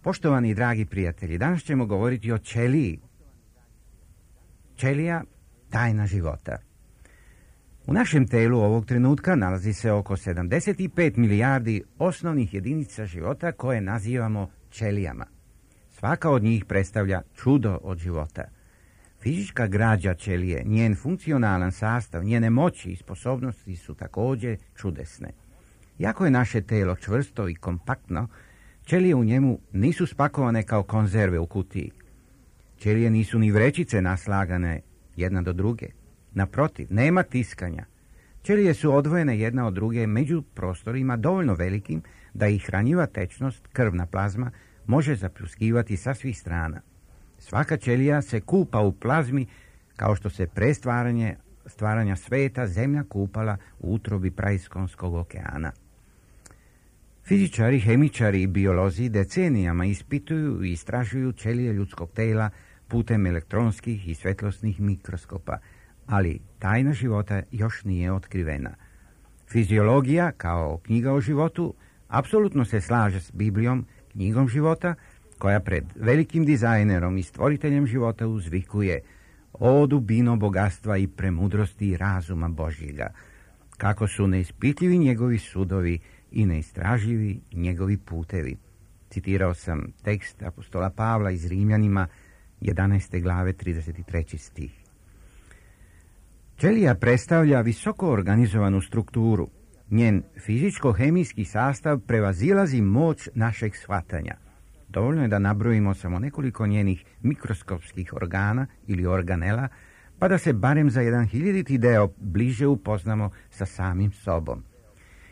Poštovani i dragi prijatelji, danas ćemo govoriti o ćeliji. Ćelija, tajna života. U našem telu ovog trenutka nalazi se oko 75 milijardi osnovnih jedinica života koje nazivamo ćelijama. Svaka od njih predstavlja čudo od života. Fizička građa ćelije, njen funkcionalan sastav, njene moći i sposobnosti su također čudesne. Iako je naše telo čvrsto i kompaktno, ćelije u njemu nisu spakovane kao konzerve u kutiji. Ćelije nisu ni vrećice naslagane jedna do druge. Naprotiv, nema tiskanja. Ćelije su odvojene jedna od druge među prostorima dovoljno velikim da ih hranjiva tečnost, krvna plazma, može zapljuskivati sa svih strana. Svaka ćelija se kupa u plazmi kao što se pre stvaranja sveta zemlja kupala u utrobi praiskonskog okeana. Fizičari, hemičari i biolozi decenijama ispituju i istražuju ćelije ljudskog tela putem elektronskih i svetlosnih mikroskopa, ali tajna života još nije otkrivena. Fiziologija, kao knjiga o životu, apsolutno se slaže s Biblijom, knjigom života, koja pred velikim dizajnerom i stvoriteljem života uzvikuje: o dubino bogatstva i premudrosti razuma Božjega, kako su neispitljivi njegovi sudovi i neistraživi njegovi putevi. Citirao sam tekst apostola Pavla iz Rimljanima 11. glave 33. stih. Ćelija predstavlja visoko organizovanu strukturu. Njen fizičko-hemijski sastav prevazilazi moć našeg shvatanja. Dovoljno je da nabrojimo samo nekoliko njenih mikroskopskih organa ili organela, pa da se barem za 1/1000 deo bliže upoznamo sa samim sobom.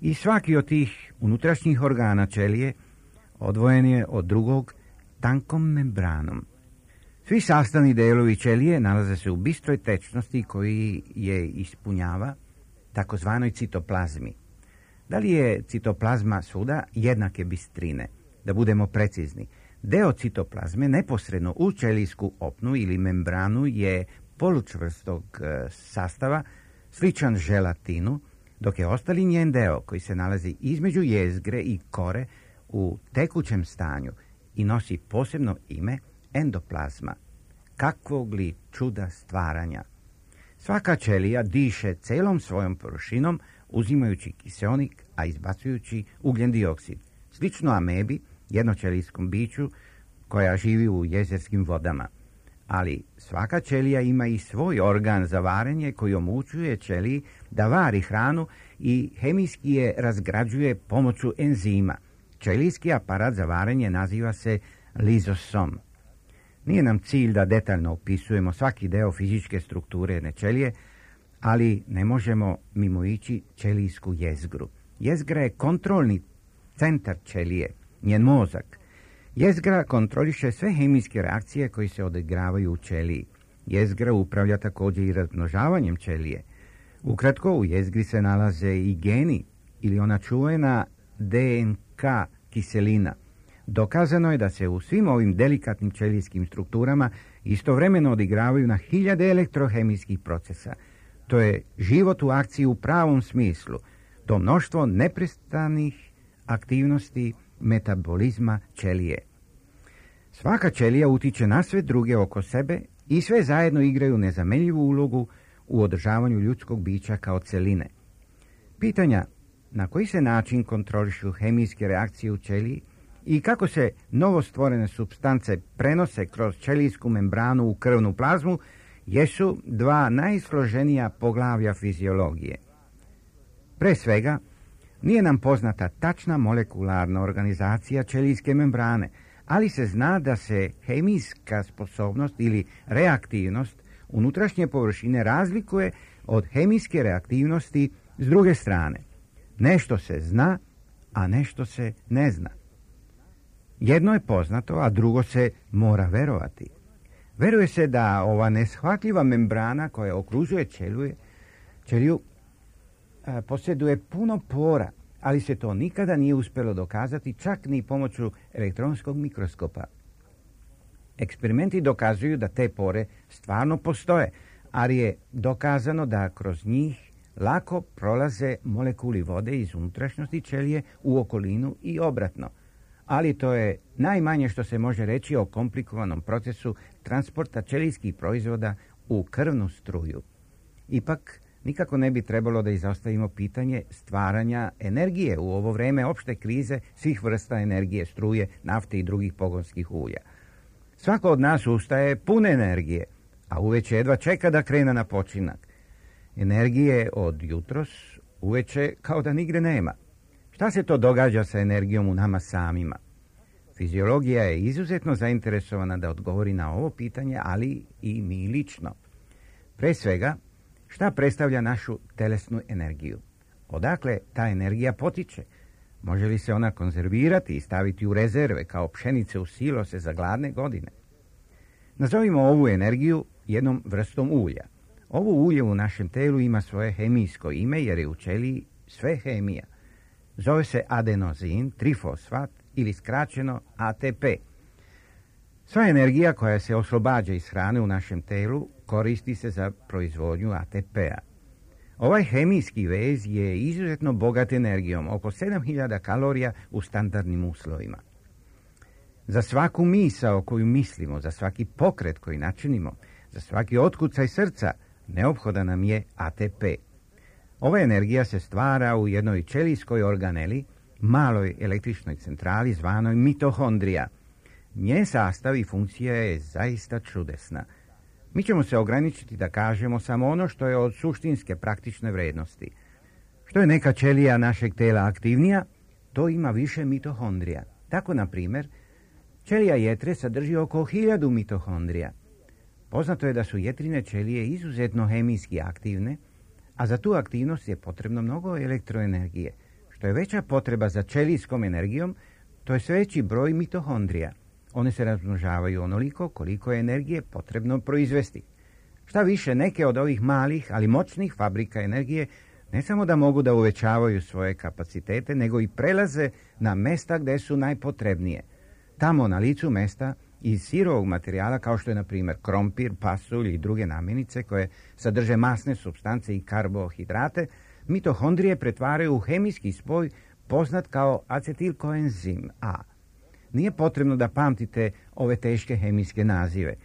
I svaki od tih unutrašnjih organa ćelije odvojen je od drugog tankom membranom. Svi sastavni delovi ćelije nalaze se u bistroj tečnosti koji je ispunjava takozvanoj citoplazmi. Da li je citoplazma svuda jednake bistrine? Da budemo precizni, deo citoplazme neposredno u ćelijsku opnu ili membranu je polučvrstog sastava, sličan želatinu, dok je ostali njen deo koji se nalazi između jezgre i kore u tekućem stanju i nosi posebno ime endoplazma. Kakvog li čuda stvaranja! Svaka ćelija diše celom svojom površinom, uzimajući kiseonik, a izbacujući ugljen dioksid. Slično amebi, jednoćelijskom biću koja živi u jezerskim vodama. Ali svaka ćelija ima i svoj organ za varenje koji omogućuje ćeliji da vari hranu i hemijski je razgrađuje pomoću enzima. Ćelijski aparat za varenje naziva se lizosom. Nije nam cilj da detaljno opisujemo svaki deo fizičke strukture jedne ćelije, ali ne možemo mimoići ćelijsku jezgru. Jezgra je kontrolni centar ćelije, njen mozak. Jezgra kontroliše sve hemijske reakcije koje se odigravaju u ćeliji. Jezgra upravlja također i razmnožavanjem ćelije. Ukratko, u jezgri se nalaze i geni ili ona čuvena DNK kiselina. Dokazano je da se u svim ovim delikatnim ćelijskim strukturama istovremeno odigravaju na 1000 elektrohemijskih procesa. To je život u akciji u pravom smislu. To mnoštvo neprestanih aktivnosti metabolizma ćelije. Svaka ćelija utiče na sve druge oko sebe i sve zajedno igraju nezamenljivu ulogu u održavanju ljudskog bića kao celine. Pitanja na koji se način kontrolišu hemijske reakcije u ćeliji i kako se novostvorene supstance prenose kroz ćelijsku membranu u krvnu plazmu jesu dva najsloženija poglavlja fiziologije. Pre svega, nije nam poznata tačna molekularna organizacija ćelijske membrane, ali se zna da se hemijska sposobnost ili reaktivnost unutrašnje površine razlikuje od hemijske reaktivnosti s druge strane. Nešto se zna, a nešto se ne zna. Jedno je poznato, a drugo se mora verovati. Veruje se da ova neshvatljiva membrana koja okružuje ćeliju posjeduje puno pora, ali se to nikada nije uspjelo dokazati čak ni pomoću elektronskog mikroskopa. Eksperimenti dokazuju da te pore stvarno postoje, ali je dokazano da kroz njih lako prolaze molekuli vode iz unutrašnjosti ćelije u okolinu i obratno. Ali to je najmanje što se može reći o komplikovanom procesu transporta ćelijskih proizvoda u krvnu struju. Ipak, nikako ne bi trebalo da izostavimo pitanje stvaranja energije u ovo vreme opšte krize svih vrsta energije, struje, nafte i drugih pogonskih ulja. Svako od nas ustaje pune energije, a uveče jedva čeka da krene na počinak. Energije od jutros uveče kao da nigde nema. Šta se to događa sa energijom u nama samima? Fiziologija je izuzetno zainteresovana da odgovori na ovo pitanje, ali i mi lično. Pre svega, šta predstavlja našu telesnu energiju? Odakle ta energija potiče? Može li se ona konzervirati i staviti u rezerve kao pšenice u silose za gladne godine? Nazovimo ovu energiju jednom vrstom ulja. Ovo ulje u našem telu ima svoje hemijsko ime jer je u ćeliji sve hemija. Zove se adenozin, trifosfat ili skraćeno ATP. Sva energija koja se oslobađa iz hrane u našem telu koristi se za proizvodnju ATP-a. Ovaj hemijski vez je izuzetno bogat energijom, oko 7000 kalorija u standardnim uslovima. Za svaku misao koju mislimo, za svaki pokret koji načinimo, za svaki otkucaj srca, neophodan nam je ATP. Ova energija se stvara u jednoj ćelijskoj organeli, maloj električnoj centrali zvanoj mitohondrija. Njen sastav i funkcija je zaista čudesna. Mi ćemo se ograničiti da kažemo samo ono što je od suštinske praktične vrednosti. Što je neka ćelija našeg tela aktivnija, to ima više mitohondrija. Tako, na primjer, ćelija jetre sadrži oko 1000 mitohondrija. Poznato je da su jetrine ćelije izuzetno hemijski aktivne, a za tu aktivnost je potrebno mnogo elektroenergije. Što je veća potreba za ćelijskom energijom, to je sve veći broj mitohondrija. One se razmnožavaju onoliko koliko je energije potrebno proizvesti. Šta više, neke od ovih malih, ali moćnih fabrika energije ne samo da mogu da uvećavaju svoje kapacitete, nego i prelaze na mesta gde su najpotrebnije. Tamo na licu mesta iz sirovog materijala kao što je na primjer krompir, pasulj i druge namirnice koje sadrže masne supstance i karbohidrate, mitohondrije pretvaraju u hemijski spoj poznat kao acetilkoenzim A. Nije potrebno da pamtite ove teške hemijske nazive.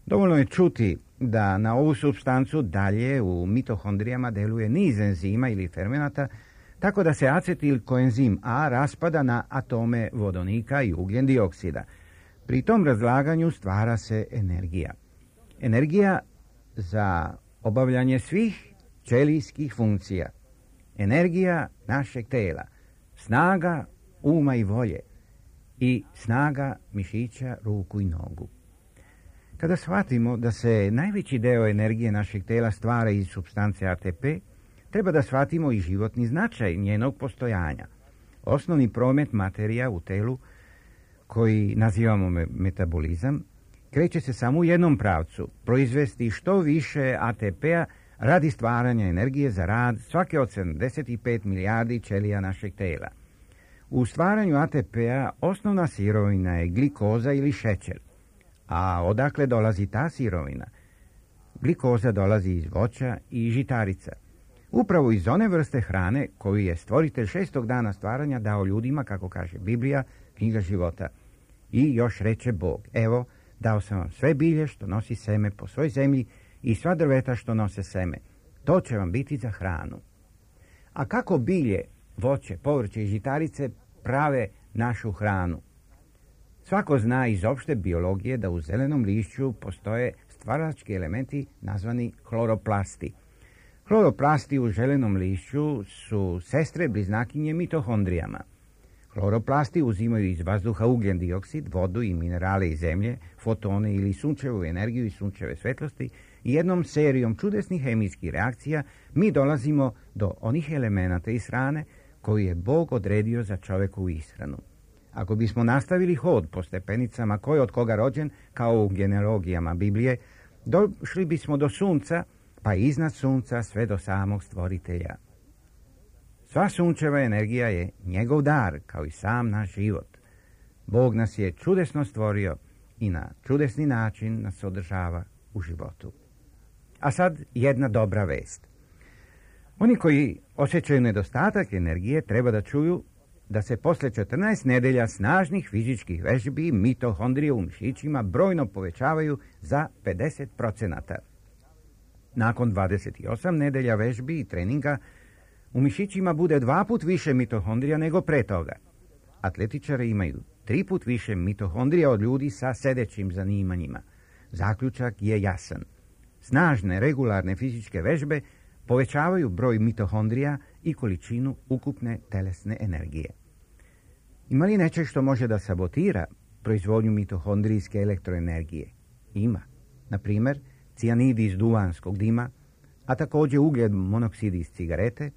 Dovoljno je čuti da na ovu supstancu dalje u mitohondrijama deluje niz enzima ili fermenata, tako da se acetilkoenzim A raspada na atome vodonika i ugljen dioksida. Pri tom razlaganju stvara se energija. Energija za obavljanje svih ćelijskih funkcija. Energija našeg tela. Snaga uma i volje. I snaga mišića, ruku i nogu. Kada shvatimo da se najveći deo energije našeg tela stvara iz supstance ATP, treba da shvatimo i životni značaj njenog postojanja. Osnovni promet materija u telu, koji nazivamo metabolizam, kreće se samo u jednom pravcu, proizvesti što više ATP-a radi stvaranja energije za rad svake od 75 milijardi ćelija našeg tela. U stvaranju ATP-a osnovna sirovina je glikoza ili šećer. A odakle dolazi ta sirovina? Glikoza dolazi iz voća i žitarica. Upravo iz one vrste hrane koju je stvoritelj 6. dana stvaranja dao ljudima, kako kaže Biblija, knjiga života. I još reče Bog, evo, dao sam vam sve bilje što nosi seme po svoj zemlji i sva drveta što nose seme. To će vam biti za hranu. A kako bilje, voće, povrće i žitarice prave našu hranu? Svako zna iz opšte biologije da u zelenom lišću postoje stvarački elementi nazvani hloroplasti. Hloroplasti u zelenom lišću su sestre bliznakinje mitohondrijama. Hloroplasti uzimaju iz vazduha ugljen dioksid, vodu i minerale iz zemlje, fotone ili sunčevu energiju i sunčeve svetlosti i jednom serijom čudesnih hemijskih reakcija mi dolazimo do onih elemenata iz hrane koju je Bog odredio za čovjekovu ishranu. Ako bismo nastavili hod po stepenicama ko je od koga rođen, kao u genealogijama Biblije, došli bismo do sunca, pa iznad sunca sve do samog stvoritelja. Sva sunčeva energija je njegov dar, kao i sam naš život. Bog nas je čudesno stvorio i na čudesni način nas održava u životu. A sad jedna dobra vest. Oni koji osjećaju nedostatak energije treba da čuju da se posle 14 nedelja snažnih fizičkih vežbi mitohondrije u mišićima brojno povećavaju za 50%. Nakon 28 nedelja vežbi i treninga u mišićima bude 2 put više mitohondrija nego pre toga. Atletičari imaju 3 put više mitohondrija od ljudi sa sedećim zanimanjima. Zaključak je jasan. Snažne, regularne fizičke vežbe povećavaju broj mitohondrija i količinu ukupne telesne energije. Ima li nečeg što može da sabotira proizvodnju mitohondrijske elektroenergije? Ima. Na primjer, cijanidi iz duvanskog dima, a također ugljen monoksid iz cigarete,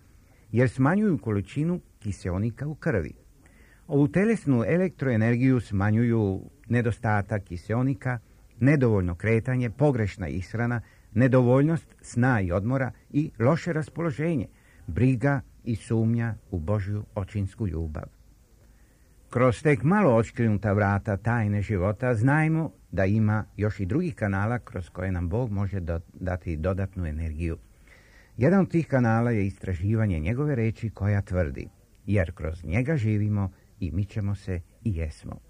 jer smanjuju količinu kiseonika u krvi. Ovu telesnu elektroenergiju smanjuju nedostatak kiseonika, nedovoljno kretanje, pogrešna ishrana, nedovoljnost sna i odmora i loše raspoloženje, briga i sumnja u Božju očinsku ljubav. Kroz tek malo otkrinuta vrata tajne života znajmo da ima još i drugih kanala kroz koje nam Bog može dati dodatnu energiju. Jedan od tih kanala je istraživanje njegove reči koja tvrdi, jer kroz njega živimo i mi ćemo se i jesmo.